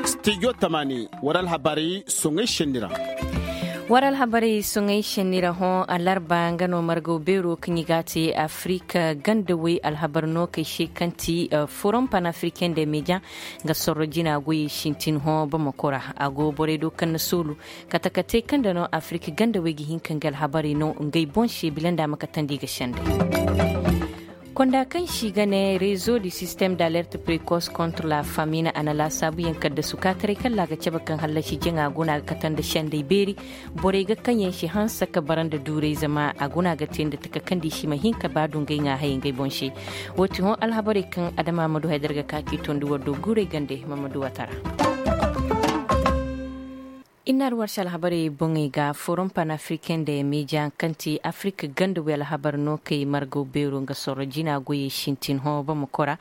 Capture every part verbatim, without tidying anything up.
Studio tamaani, war alhabarey soŋey šenni ra. War alhabarey soŋey šenni ra hõ alarba nga no margaw beero kaŋ i ga a te afirik gandawey alhabar no kay se kaŋ ti forom panafriken de media, nga sorro jina goyey sintin hõ bamako ra. A go borey do kaŋ na soolu kate kate kaŋ nda no afirik gandawey ga hin ka nga alhabarey no ngey boŋ se bila nda a ma katandi ga sendey. Konda kaŋ se i ga ne rezo di sistem d'alerte prekos kontra la famina a na laasaabuyaŋ kaddasu kaataray kalla a ga cabe kaŋ hallasi jaŋa guna ga kate nda sendey beeri. Borey ga kaŋ yaŋ si hanse ka bara nda duuray zama a guna ga te nda taka kaŋ da i si ma hin ka ba dungay ŋaa hayey ngey boŋ se. Woo ti hõ alhabarey kaŋ adama ma du haydar ga ka k'i tondi war do guuray gande ma ma du wata ra. Inna arwarsi alhabarey boŋey ga forom panafriken de media kaŋ ti afirik ganda wey alhabar no kay margaw beero nga sorro jina goyey sintin hõ bamako ra.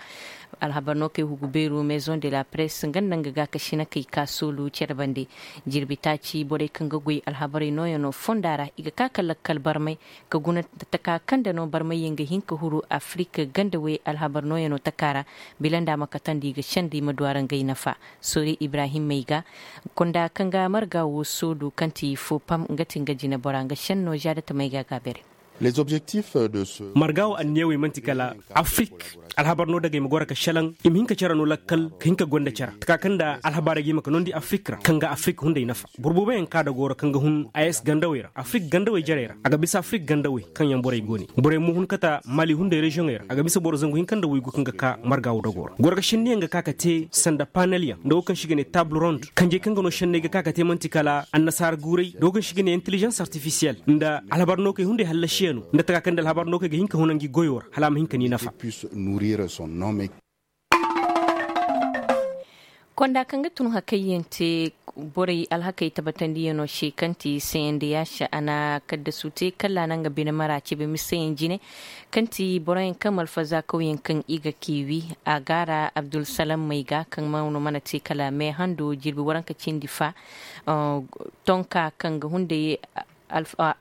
Alhabar no kay hugu beero maison de la presse nga nda nga ga ka sina kay ka soolu cere bande. Jirbi taaci borey kaŋ ga goy alhabarey nooyaŋo fonda ra i ga ka ka lakkal barmay ka guna taka kaŋ nda no barmayyaŋ ga hin ka huru afirik ganda wey alhabar nooyaŋo taka ra. Bila nda a ma katandi i ga senda i ma du a ra ngey nafa. Sori ibrahim may ga konda kaŋ ga marga wo soodu kaŋ ti fo pam nga ti nga jinebora nga senno zaada tamay ga a ga a bere. Marga wo anniyawey man'ti kala afirik alhabar no dagay ma goro ka šelaŋ i ma hin ka cere no lakkal ka hin ka gonda cere taka kaŋ nda alhabaarey ga i ma ka noondi afirik ra kaŋ ga afirik hunday nafa. Boro booboyaŋ ka dagoo ra kaŋ ga hun a s gandawey ra afirik gandawey jarey ra a ga bisa afirik gandawey kaŋ yaŋ borey go ne borey mo hun kate mali hunday reziyoŋey ra a ga bisa boro zangu hinka nda waygu kaŋ ga ka marga wo dagoo ra goro ga senniyaŋ ga ka ka te sanda panelyaŋ nda wo kaŋ se i ga ne taabul rond kanjey kaŋ ga no senney ga ka ka te man'ti kala annasaara guuray nda wo kaŋ se i ga ne intelizens artifisiyel nda alhabar nookey hunday hallasiyaŋo nda taka kaŋ nda alhabar nookey ga hin ka huna ngi goyoo ra hala a ma hin ka ni nafa. Konda kaŋ ga tun hakayyaŋ te borey alhakey tabatandiyaŋo se kaŋ ti cndh a na kaddasu te kala a na nga bine mara cebe miseyaŋ jine kaŋ ti boroyaŋ kaŋ malfazakawyaŋ kaŋ i ga kiiwi a ga a ra abdulsalam may ga kaŋ mana te kala me hando jirbi waranka cindi fa. Tonka kaŋ ga hunday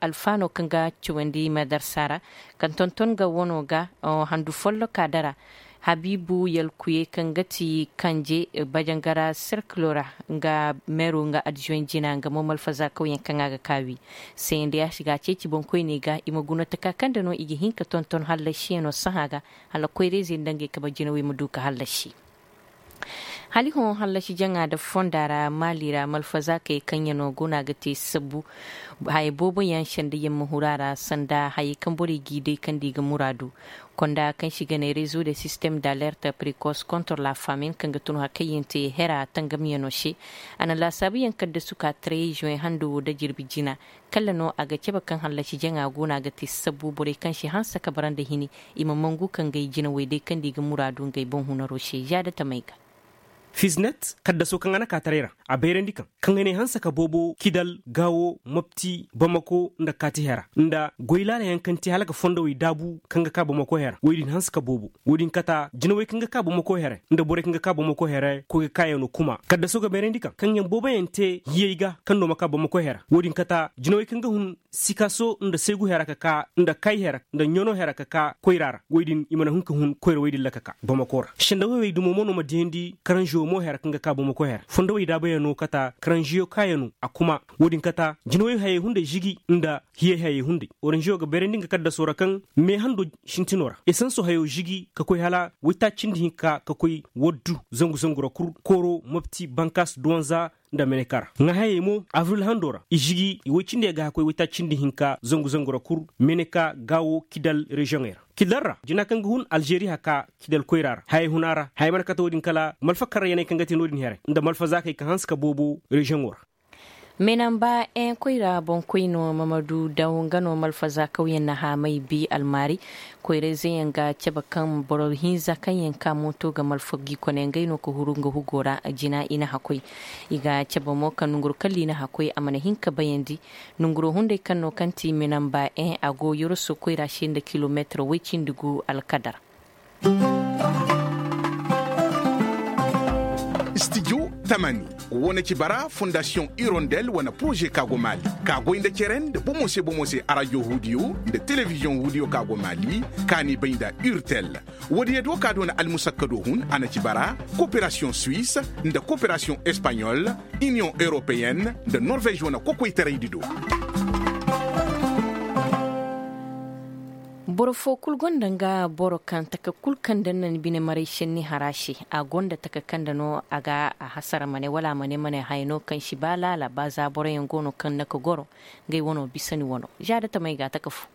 alfaano kaŋ ga cawandi madarsa ra kaŋ tonton ga wano ga handu folloka dara habiibu yalkuyey kaŋ ga ti kanje bajangara serkilo ra nga meero nga adjuwen jina nga mo malfazakawyaŋ kaŋ a ga kaawi. Sayandi a si ga a ceeci boŋkoyney ga i ma guna taka kaŋ nda no i ga hin ka tonton hallasiyaŋo sahã ga hala koyrayzey nda ngey kabe jinawey ma du ka hallasi. Hala i hõ hallasi jaŋa nda fonda ra maali ra malfazaakey kaŋ yaŋ no go no a ga te sabbu haya booboyaŋ sendayyaŋ ma huru a ra sanda hayey kaŋ borey g'i day kaŋ nda i ga muraadu. Konda kaŋ se i ga ne rezo de sistem d'alerte prekos kontor la famin kaŋ ga tun hakayyaŋ te hera tangamyaŋo se. A na laasaabuyaŋ kaddasu ka trey zuwen hando wo nda jirbi jina kala no a ga cabe kaŋ hallasi jaŋa go no a ga te sabbu borey kaŋ si hanse ka bara nda hini i ma mangu ka ngey jinawey day kaŋ nda i ga muraadu ngey boŋ hunaro se zaada tamey ga. Fisnet kaddasoo kaŋ a na kaataray ra a bayrandi kaŋ kaŋ a ne hanse ka boobo kidal gaawo mopti bamako nda kaati hera nda goy laalayaŋ kaŋ te hala ga fondowey daabu kaŋ ga ka bamako hera woy din hanse ka boobo. Wo-din kata jinawey kaŋ ga ka bamako here nda borey kaŋ ga ka bamako here koy ga kaayaŋo kuma kaddaso ga bayrandi kaŋ kaŋ yaŋ booboyaŋ te hiyey ga kaŋ no ma ka bamako here. Wo-din kata jinawey kaŋ ga hun sikaaso nda seegu here ka ka nda kay here nda ɲano here ka ka koyra ra wo-din i mana hun ka hun koyra wo-din ra ka ka bamako ra sendawey dumo mo no ma diyandi karanžiyo mo here kaŋ ga ka bamako here fondowey daabayaŋo kata karanžiyo kaayaŋo a kuma. Wo-din kata jinawey hayey hunday žigi nda hiyey hayey hunday oranžiyo ga bayrandi nga kaddaso ra kaŋ me hando sintino ra esanso hayo žigi ka koy hala waytaaci cindi hinka ka koy waddu zangu zangu ra kul kooro mopti bankas duwanza nda meneka ra ŋaahayey mo avril hando ra i žigi i woy cindi ga ka koy waytaaci cindi hinka zangu zangu ra kul meneka gaawo kidal reziyoŋey ra kidal ra jina kaŋ ga hun alžeri haka kidal koyra ra hayey huna ra hayey mana kate wo-din kala malfa karrayaney kaŋ ga te no-din here nda malfa zaakey ka hanse ka boobo reziyoŋo ra. Menamba en koyra boŋkoyno mamadu daw nga no malfaza kawyaŋ na haamay bi almaari koyrayzeyaŋ ga cabe kaŋ boro hinza kaŋ yaŋ ka mooto ga malfa gi kone ngey no ka huru nga hugo ra jina i na hakoy. I ga cabe mo kaŋ nonguro kalla i na hakoy a mana hin ka bayandi nonguro hunday kaŋ no kaŋ ti menamba en a go yoroso koyra se nda kilomeetiro woy cindi gu alkadar. Studio Tamani, wo na ci bara fondasiyoŋ irondel wane poroze ka go maali, ka goy nda cere nda bomo se bomo se arajo huudiyo nda telebiziyoŋ huudiyo ka go maali, ka n'i bay nda urtel. Woodiyo do ka do na almusakkado hun a na ci bara, koperasiyoŋ suwis, nda koperasiyoŋ espaɲol, iniyoŋ europeyen, nda norvez wane kokoytaraydi do. Boro foo kul gonda nga boro kaŋ taka kul kaŋ daŋ na ni bine maray šenni hara se. A gonda taka kaŋ da no a ga a hasara ma ne wala a ma ne ma ne haya no kaŋ si ba laala ba za boroyaŋ go no kaŋ na ka goro. Ngey wano bisa ni wano za da tamey ga a taka fu.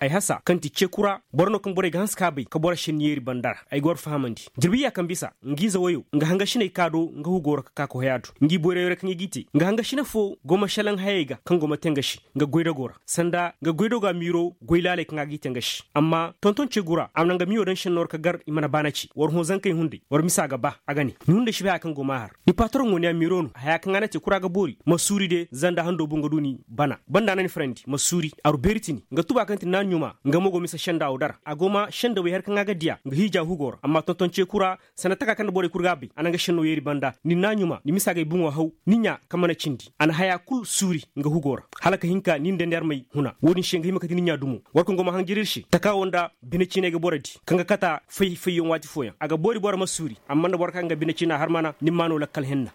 Ay hasa kaŋ ti ce kura boro no kaŋ borey ga hanse ka bay ka boro šenni yeeri banda ra. Ay ga war fahamandi jirbi ya kaŋ bisa nga ize woyo nga hangasiney ka do nga hugo ra ka ka ka hoy a do. Ngi boyray ra kaŋ i g'i te nga hangasine fo go ma šelaŋ hayey ga kaŋ go ma te nga se. Nga goydago ra sanda nga goydago a miiro goy laaley kaŋ a g'i te nga se. Amma tonton ceegu ra a mana nga miyo daŋ šenno ra ka gar i mana baana ce war hõ zankey hunday war misa ga ba a ga ne. Ni hunday si bay haya kaŋ go ma har ni patoroŋo ne a miiro no haya kaŋ a na te kura ga boori ma suuri de zanda hando bu nga du ni bana banda na ni farandi ma suuri aru beeri tini nga tuba kaŋ ti naaɲuma nga mo go misa senda wo dara a go ma senda wey har kaŋ a ga diya nga hiija hugo ra amma tonton ceeku ra. Sanda taka kaŋ nda borey kul ga a bay a na nga senno yeeri banda ni naaɲuma ni misa ga ay buŋo haw ni ɲa kaŋ mana cindi a na haya kul suuri nga hugo ra. Hala ka hin ka ni nda ni armey huna wo-din se nga hima kate ni ɲa dumo. War kaŋ go ma hanjir ir se taka wo nda bine ciiney ga boro di kaŋ ga kata fay fayyaŋ waati fooyaŋ a ga boori boro ma suuri amma nda boro kaŋ ga bine ciina har mana ni ma no lakkal henna.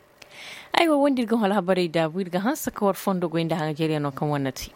Aywa wo nda ir ga hõ alhabarey daabu ir ga hanse ka war fondo goy nda hanjaryaŋo kaŋ war na te.